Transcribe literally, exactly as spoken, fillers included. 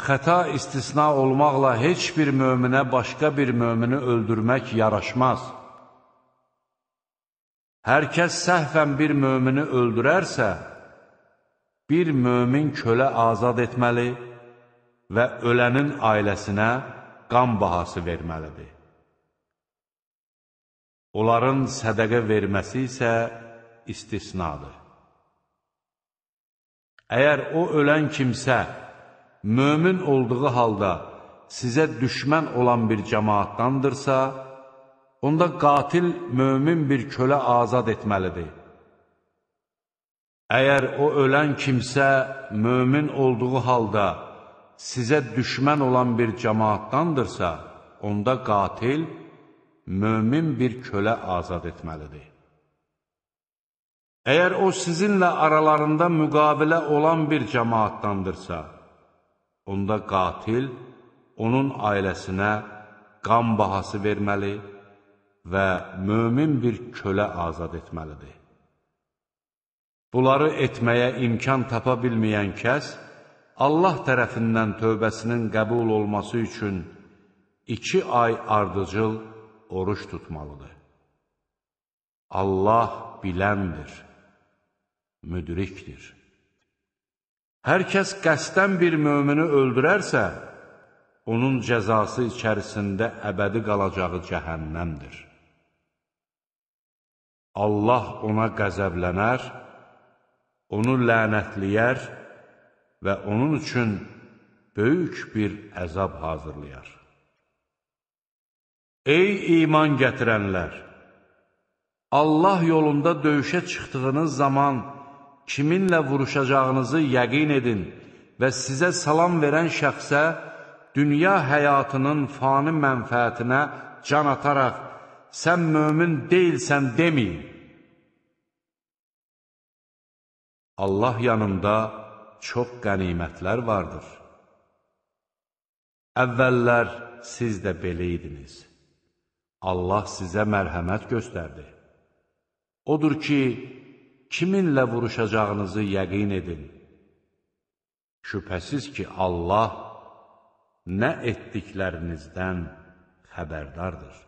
Xəta istisna olmaqla heç bir möminə başqa bir mömini öldürmək yaraşmaz. Hər kəs səhvən bir mömini öldürərsə, bir mömin kölə azad etməli və ölənin ailəsinə qan bahası verməlidir. Onların sədəqə verməsi isə istisnadır. Əgər o ölən kimsə, mömin olduğu halda sizə düşmən olan bir cəmaatdandırsa, onda qatil mömin bir kölə azad etməlidir. Əgər o ölən kimsə, mömin olduğu halda sizə düşmən olan bir cəmaatdandırsa, onda qatil mömin bir kölə azad etməlidir. Əgər o sizinlə aralarında müqavilə olan bir cəmaatdandırsa, onda qatil onun ailəsinə qan bahası verməli və mömin bir kölə azad etməlidir. Bunları etməyə imkan tapa bilməyən kəs, Allah tərəfindən tövbəsinin qəbul olması üçün iki ay ardıcıl oruç tutmalıdır. Allah biləndir, müdrikdir. Hər kəs qəsdən bir mömini öldürərsə, onun cəzası içərisində əbədi qalacağı cəhənnəmdir. Allah ona qəzəblənər, onu lənətləyər və onun üçün böyük bir əzab hazırlayar. Ey iman gətirənlər! Allah yolunda döyüşə çıxdığınız zaman kiminlə vuruşacağınızı yəqin edin və sizə salam verən şəxsə dünya həyatının fani mənfəətinə can ataraq sən mömin deyilsən deməyin. Allah yanında çox qənimətlər vardır. Əvvəllər siz də belə idiniz. Allah sizə mərhəmət göstərdi. Odur ki, kiminlə vuruşacağınızı yəqin edin. Şübhəsiz ki, Allah nə etdiklərinizdən xəbərdardır.